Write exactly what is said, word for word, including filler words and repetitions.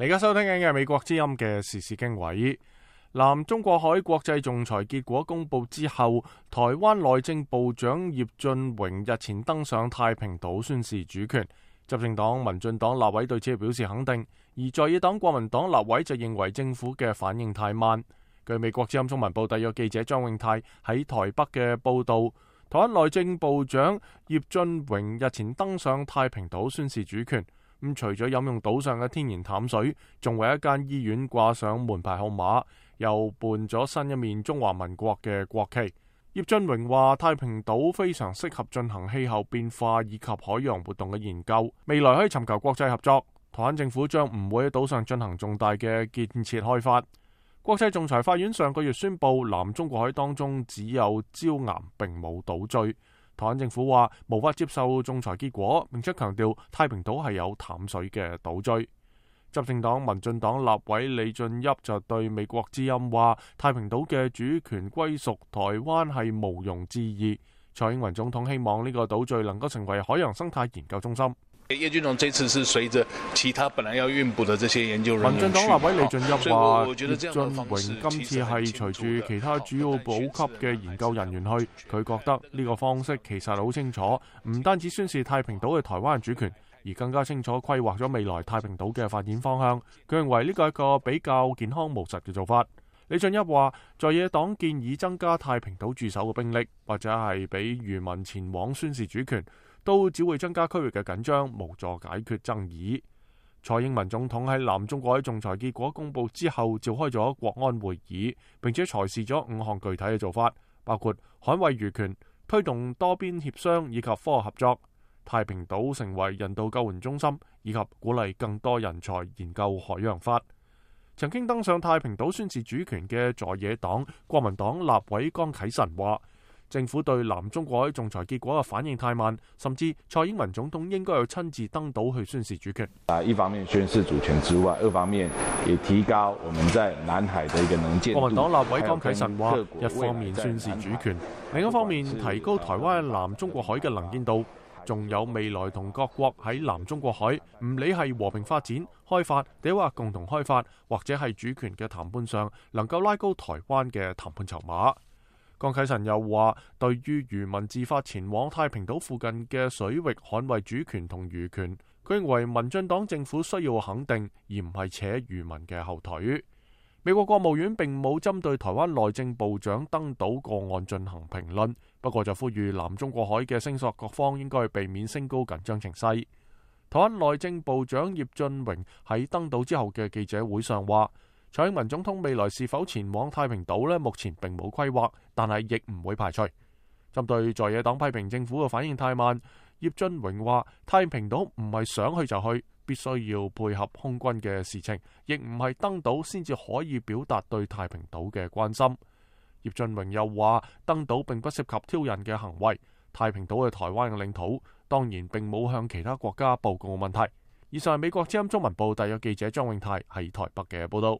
你而家收聽緊嘅美國之音嘅時事經緯。南中國海國際仲裁結果公布之後，台灣內政部長葉俊榮日前登上太平島宣示主權。執政黨民進黨立委對此表示肯定，而在野黨國民黨立委就認為政府嘅反應太慢。據美國之音中文部特約記者張永泰喺台北嘅報道，台灣內政部長葉俊榮日前登上太平島宣示主權。咁除咗飲用島上嘅天然淡水，仲為一間醫院掛上門牌號碼，又伴咗新一面中華民國嘅國旗。葉俊榮話：太平島非常適合進行氣候變化以及海洋活動嘅研究，未來可以尋求國際合作。台灣政府將唔會喺島上進行重大嘅建設開發。國際仲裁法院上個月宣布，南中國海當中只有礁岩並冇島嶼。台灣政府話無法接受仲裁結果，並且強調太平島係有淡水嘅島嶼。執政黨民進黨立委李俊俋就對美國之音話：太平島嘅主權歸屬台灣係毋庸置疑。蔡英文總統希望呢個島嶼能夠成為海洋生態研究中心。葉俊榮這次是隨着其他本來要運補的這些研究人員。民進黨立委李俊俋話：葉俊榮今次係隨住其他主要補給嘅研究人員去，佢覺得呢個方式其實好清楚，唔單止宣示太平島嘅台灣主權，而更加清楚規劃咗未來太平島嘅發展方向。佢認為呢個係一個比較健康務實嘅做法。李俊俋話：在野黨建議增加太平島駐守嘅兵力，或者係俾漁民前往宣示主權，都只會增加區域嘅緊張，無助解決爭議。蔡英文總統喺南中國海仲裁結果公布之後，召開咗國安會議，並且裁示咗五項具體嘅做法，包括捍衛漁權、推動多邊協商以及科學合作、太平島成為人道救援中心，以及鼓勵更多人才研究海洋法。曾經登上太平島宣示主權嘅在野黨國民黨立委江啟臣話：政府對南中國海仲裁結果嘅反應太慢，甚至蔡英文總統應該要親自登島去宣示主權。啊，一方面宣示主權之外，二方面也提高我們在南海的一個能見度。國民黨立委江啟臣話：一方面宣示主權，另一方面提高台灣南中國海嘅能見度，仲有未來同各國喺南中國海，唔理係和平發展、開發，定話共同開發，或者係主權嘅談判上，能夠拉高台灣嘅談判籌碼。江啟臣又話：對於漁民自發前往太平島附近嘅水域捍衛主權同漁權，佢認為民進黨政府需要肯定，而唔係扯漁民嘅後腿。美國國務院並冇針對台灣內政部長登島個案進行評論，不過就呼籲南中國海嘅聲索各方應該避免升高緊張情勢。台灣內政部長葉俊榮喺登島之後嘅記者會上話：蔡英文總統未來是否前往太平島呢？目前並冇規劃，但係亦唔會排除。針對在野黨批評政府嘅反應太慢，葉俊榮話：太平島唔係想去就去，必須要配合空軍嘅事情，亦唔係登島先至可以表達對太平島嘅關心。葉俊榮又話：登島並不涉及挑釁嘅行為，太平島係台灣嘅領土，當然並冇向其他國家報告問題。以上係美國之音中文部特約記者張永泰喺台北嘅報道。